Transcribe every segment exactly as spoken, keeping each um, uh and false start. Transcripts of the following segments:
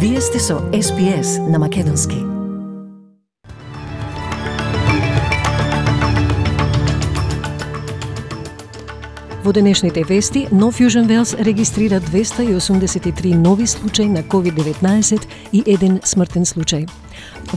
Вие сте со Ес Би Ес на Македонски. Во денешните вести, Нов Јужен Велс регистрира двеста и осумдесет и три нови случаи на ковид деветнаесет и еден смртен случај.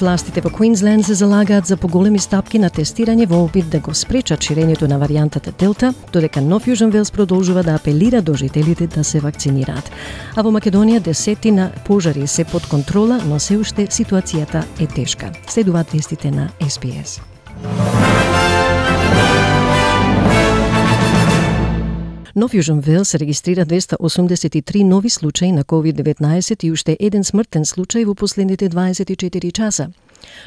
Властите во Квинсленд се залагаат за поголеми стапки на тестирање во опит да го спречат ширењето на варијантата Делта, додека Нов Јужен Велс продолжува да апелира до жителите да се вакцинираат. А во Македонија десетина пожари се под контрола, но се уште ситуацијата е тешка. Следуваат вестите на Ес Би Ес. Нов Јужен Велс регистрира двеста осумдесет и три нови случаи на ковид деветнаесет и уште еден смртен случај во последните дваесет и четири часа.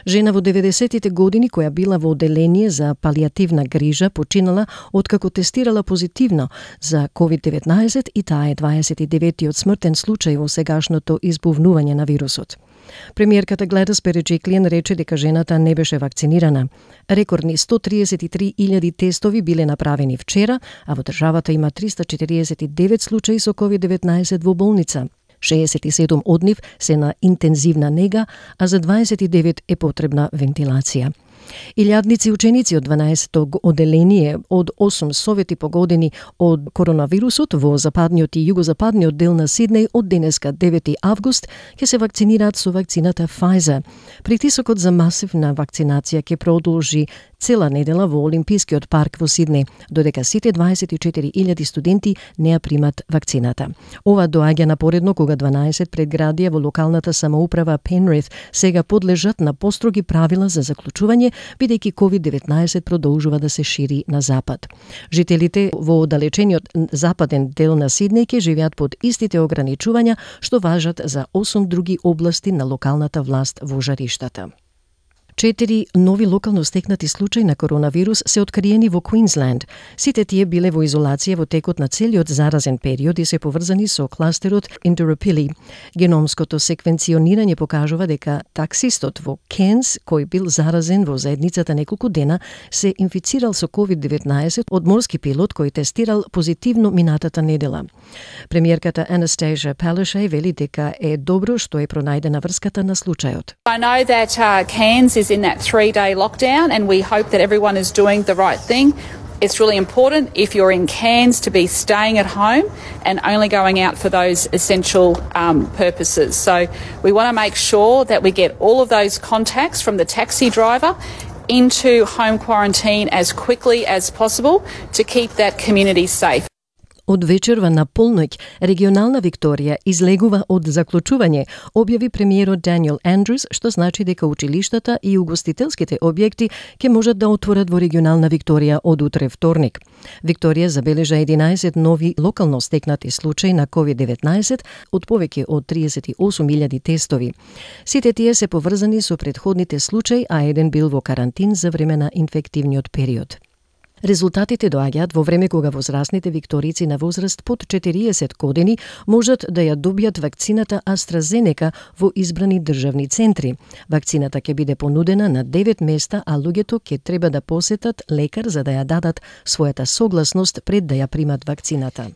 Жена во деветдесетите години која била во оделение за палијативна грижа починала откако тестирала позитивно за ковид деветнаесет и таа е дваесет и деветиот смртен случај во сегашното избувнување на вирусот. Премиерката Гледис Береджиклијан рече дека жената не беше вакцинирана. Рекордни сто триесет и три илјади тестови биле направени вчера, а во државата има триста четириесет и девет случаи со ковид деветнаесет во болница. шеесет и седум од нив се на интензивна нега, а за дваесет и девет е потребна вентилација. Илјадници ученици од дванаесетто оделение од осум совети погодени од коронавирусот во западниот и југозападниот дел на Сиднеј од денеска девети август ќе се вакцинираат со вакцината Pfizer. Притисокот за масивна вакцинација ќе продолжи цела недела во Олимпискиот парк во Сиднеј, додека сите дваесет и четири илјади студенти не ја примат вакцината. Ова доаѓа напоредно кога дванаесет предградија во локалната самоуправа Пенрith сега подлежат на построги правила за заклучување, бидејќи ковид деветнаесет продолжува да се шири на запад. Жителите во оддалечениот западен дел на Сиднеј ќе живеат под истите ограничувања што важат за осум други области на локалната власт во жариштата. Четири нови локално стекнати случаи на коронавирус се откриени во Квинсленд. Сите тие биле во изолација во текот на целиот заразен период и се поврзани со кластерот Интеропили. Геномското секвенционирање покажува дека таксистот во Кенс, кој бил заразен во заедницата неколку дена, се инфицирал со ковид деветнаесет од морски пилот кој тестирал позитивно минатата недела. Премиерката Анастасија Палашај вели дека е добро што е пронајдена врската на случајот. I know that uh, Cairns is in that three-day lockdown, and we hope that everyone is doing the right thing. It's really important if you're in Cairns to be staying at home and only going out for those essential um, purposes. So we want to make sure that we get all of those contacts from the taxi driver into home quarantine as quickly as possible to keep that community safe. Од вечерва на полноќ, регионална Викторија излегува од заклучување, објави премиерот Даниел Андрус, што значи дека училиштата и угостителските објекти ќе можат да отворат во регионална Викторија од утре вторник. Викторија забележа единаесет нови локално стекнати случаи на ковид деветнаесет од повеќе од триесет и осум илјади тестови. Сите тие се поврзани со претходните случаи, а еден бил во карантин за време на инфективниот период. Резултатите доаѓаат во време кога возрастните викторици на возраст под четириесет години можат да ја добијат вакцината AstraZeneca во избрани државни центри. Вакцината ќе биде понудена на девет места, а луѓето ќе треба да посетат лекар за да ја дадат својата согласност пред да ја примат вакцината.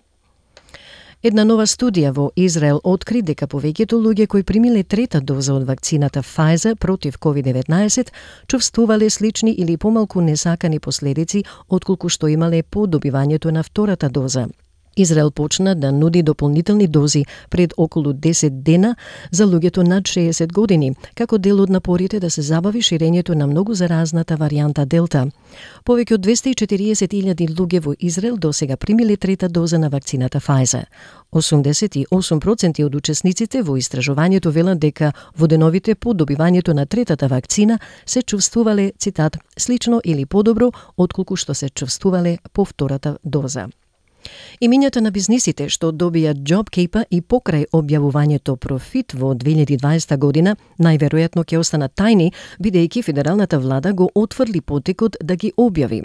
Една нова студија во Израел откри дека повеќето луѓе кои примиле трета доза од вакцината Pfizer против ковид деветнаесет чувствувале слични или помалку несакани последици отколку што имале по добивањето на втората доза. Израел почна да нуди дополнителни дози пред околу десет дена за луѓето над шеесет години, како дел од напорите да се забави ширењето на многу заразната варијанта Делта. Повеќе од двеста и четириесет илјади луѓе во Израел досега примиле трета доза на вакцината Pfizer. осумдесет и осум проценти од учесниците во истражувањето велат дека во деновите по добивањето на третата вакцина се чувствувале, цитат, слично или подобро отколку што се чувствувале по втората доза. Имињата на бизнисите што добија JobKeeper и покрај објавувањето профит во две илјади и дваесета година најверојатно ќе останат тајни, бидејќи федералната влада го отфрли потекот да ги објави.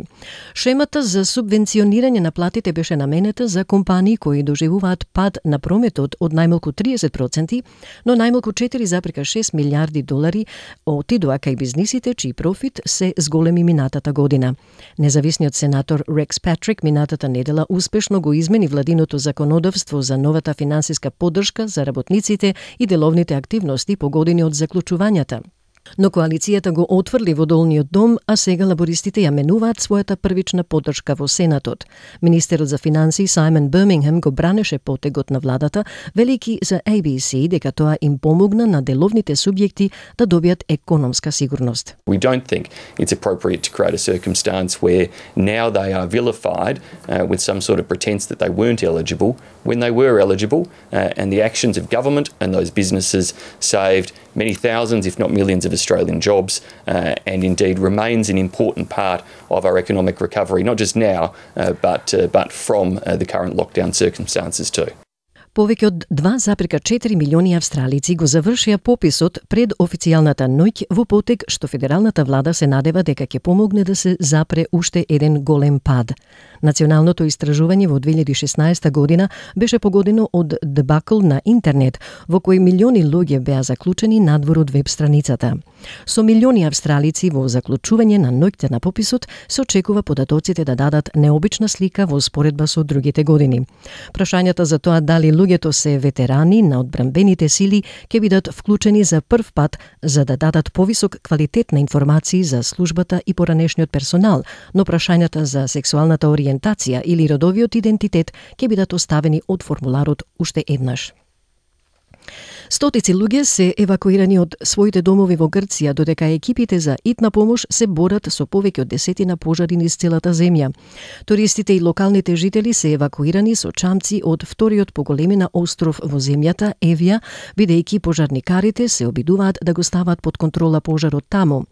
Шемата за субвенционирање на платите беше наменета за компании кои доживуваат пад на прометот од најмалку триесет проценти, но најмалку четири зарез и шест милијарди долари отидоа кај бизнисите чиј профит се зголеми минатата година. Независниот сенатор Рекс Патрик минатата недела успешно погрешно го измени владиното законодавство за новата финансиска поддршка за работниците и деловните активности по години од заклучувањата. Но коалицијата го отфрли во долниот дом, а сега лабористите ја менуваат својата првична поддршка во Сенатот. Министерот за финансии Саймон Бирмингем го бранеше потегот на владата, велики за A B C дека тоа им помогна на деловните субјекти да добијат економска сигурност. We don't think it's appropriate to create a circumstance where now they are vilified uh, with some sort of pretense that they weren't eligible when they were eligible, uh, and the actions of government and those businesses saved many thousands, if not millions, of Australian jobs, uh, and indeed remains an important part of our economic recovery, not just now, uh, but uh, but from uh, the current lockdown circumstances too. Повеќе од два запирка четири милиони австралици го завршија пописот пред официјалната ноќ во потег што федералната влада се надева дека ќе помогне да се запре уште еден голем пад. Националното истражување во две илјади и шеснаесета година беше погодено од дебакл на интернет, во кој милиони луѓе беа заклучени надвор од веб страницата. Со милиони австралици во заклучување на ноќта на пописот се очекува податоците да дадат необична слика во споредба со другите години. Прашањата за тоа дали луѓето се ветерани на одбранбените сили ќе бидат вклучени за прв пат за да дадат повисок квалитет на информации за службата и поранешниот персонал, но прашањата за сексуалната ориентација или родовиот идентитет ќе бидат оставени од формуларот уште еднаш. Стотици луѓе се евакуирани од своите домови во Грција, додека екипите за итна помош се борат со повеќе од десетина пожари низ целата земја. Туристите и локалните жители се евакуирани со чамци од вториот по големина остров во земјата, Евија, бидејќи пожарникарите се обидуваат да го стават под контрола пожарот таму.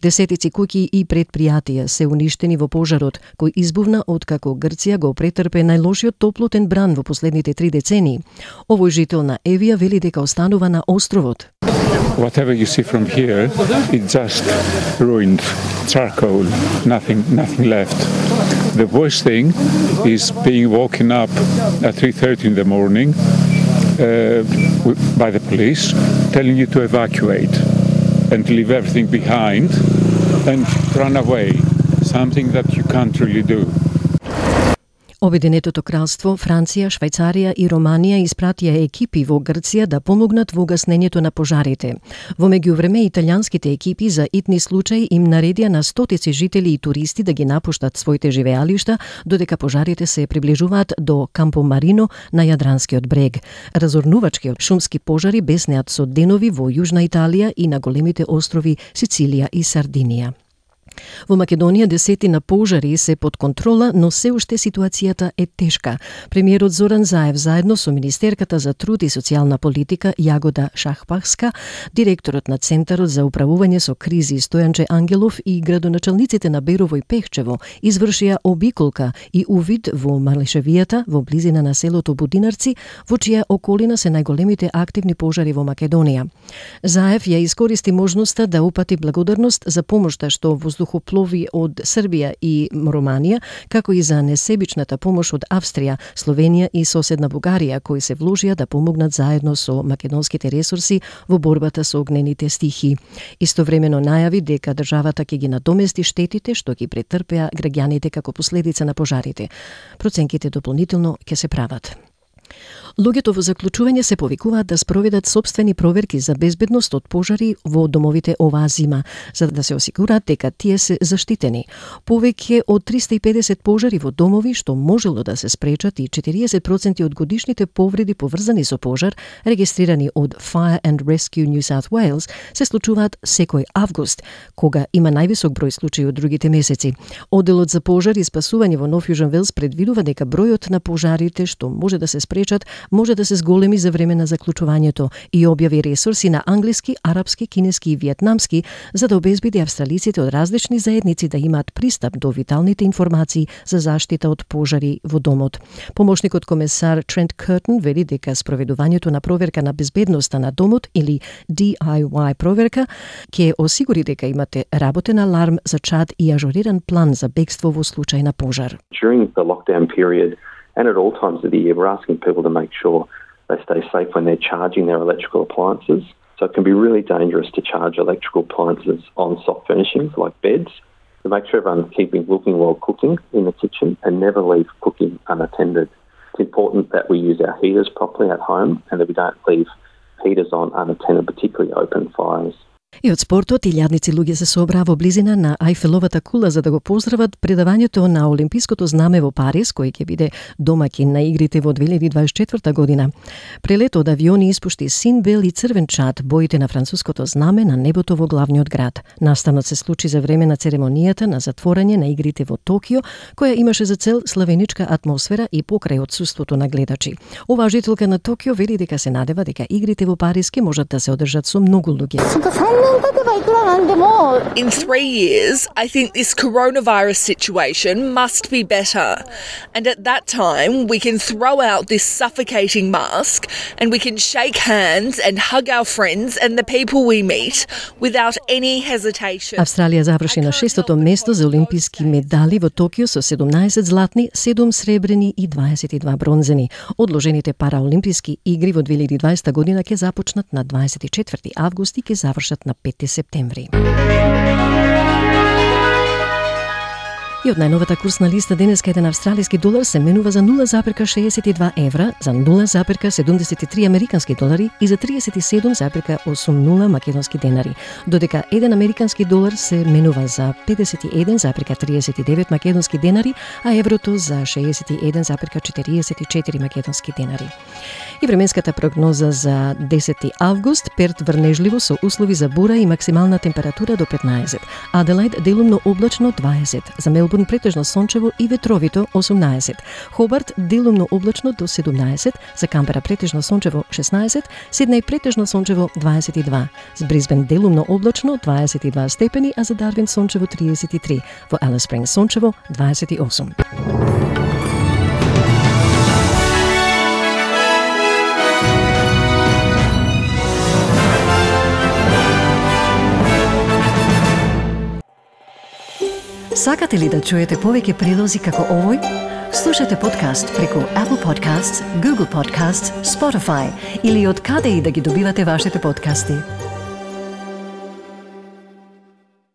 Десетици куќи и предпријатија се уништени во пожарот, кој избувна откако Грција го претрпе најлошиот топлотен бран во последните три децении. Овој жител на Евија вели дека останува на островот. Whatever you see from here, it's just ruined, charcoal, nothing, nothing left. The worst thing is being woken up at three thirty in the morning uh, by the police, telling you to evacuate and leave everything behind and run away, something that you can't really do. Обединетото кралство, Франција, Швајцарија и Романија испратија екипи во Грција да помогнат во гаснењето на пожарите. Во меѓувреме, италијанските екипи за итни случаи им наредија на стотици жители и туристи да ги напуштат своите живеалишта, додека пожарите се приближуваат до Кампо Марино на Јадранскиот брег. Разорнувачки шумски пожари беснеат со денови во Јужна Италија и на големите острови Сицилија и Сардинија. Во Македонија десетина пожари се под контрола, но се уште ситуацијата е тешка. Премиерот Зоран Заев заедно со министерката за труд и социјална политика Јагода Шахпахска, директорот на Центарот за управување со кризи Стојанче Ангелов и градоначалниците на Берово и Пехчево извршија обиколка и увид во Малишевијата во близина на селото Будинарци, во чија околина се најголемите активни пожари во Македонија. Заев ја искористи можноста да упати благодарност за помошта што воздухоплови од Србија и Романија, како и за несебичната помош од Австрија, Словенија и соседна Бугарија, кои се вложија да помогнат заедно со македонските ресурси во борбата со огнените стихи. Истовремено најави дека државата ќе ги надомести штетите што ги претрпеа граѓаните како последица на пожарите. Проценките дополнително ќе се прават. Луѓето во заклучување се повикуваат да спроведат сопствени проверки за безбедност од пожари во домовите оваа зима, за да се осигураат дека тие се заштитени. Повеќе од триста и педесет пожари во домови што можело да се спречат и четириесет проценти од годишните повреди поврзани со пожар, регистрирани од Fire and Rescue New South Wales, се случуваат секој август, кога има највисок број случаи од другите месеци. Одделот за пожар и спасување во Нов Јужен Велс предвидува дека бројот на пожарите што може да се спречат може да се зголеми за време на заклучувањето и објави ресурси на англиски, арапски, кинески и виетнамски за да обезбеди австралиците од различни заедници да имаат пристап до виталните информации за заштита од пожари во домот. Помошникот комесар Трент Кертон вели дека спроведувањето на проверка на безбедноста на домот или D I Y проверка ќе осигури дека имате работен аларм за чад и ажуриран план за бегство во случај на пожар. During the lockdown period and at all times of the year, we're asking people to make sure they stay safe when they're charging their electrical appliances. So it can be really dangerous to charge electrical appliances on soft furnishings like beds. to make sure everyone's keeping looking while cooking in the kitchen and never leave cooking unattended. It's important that we use our heaters properly at home and that we don't leave heaters on unattended, particularly open fires. И од спортот, илјадници луѓе се собраа во близина на Ајфеловата кула за да го поздрават предавањето на Олимпиското знаме во Париз, кој ќе биде домаќин на игрите во две илјади дваесет и четврта година. Прелето од авиони испушти син бел и црвен чад, боите на француското знаме на небото во главниот град. Настанот се случи за време на церемонијата на затворање на игрите во Токио, која имаше за цел славеничка атмосфера и покрај отсуството на гледачи. Оваа жителка на Токио вели дека се надева дека игрите во Париз ќе можат да се одржат со многу луѓе. In three years, I think this coronavirus situation must be better. And at that time, we can throw out this suffocating mask and we can shake hands and hug our friends and the people we meet without any hesitation. Австралија заврши на шестото место за олимписки медали во Токио со седумнаесет златни, седум сребрени и дваесет и два бронзени. Одложените параолимписки игри во две илјади и дваесета година ќе започнат на дваесет и четврти август и ќе завршат на пети септември. И од најновата курсна листа денеска еден австралиски долар се менува за нула запирка шеесет и два евра, за нула запирка седумдесет и три американски долари и за триесет и седум запирка осумнаесет македонски денари, додека еден американски долар се менува за педесет и еден запирка триесет и девет македонски денари, а еврото за шеесет и еден запирка четириесет и четири македонски денари. И временската прогноза за десети август, Перт врнежливо со услови за бура и максимална температура до петнаесет, Аделаид делумно облачно дваесет, за Мелбурн претежно сончево и ветровито осумнаесет, Хобарт делумно облачно до седумнаесет, за Камбера претежно сончево шеснаесет, Сиднеј претежно сончево дваесет и два, за Брисбен делумно облачно дваесет и два степени, а за Дарвин сончево триесет и три, во Алис Спрингс сончево дваесет и осум. Сакате ли да чуете повеќе прилози како овој? Слушате подкаст преку Apple Podcasts, Google Podcasts, Spotify или од каде и да ги добивате вашите подкасти.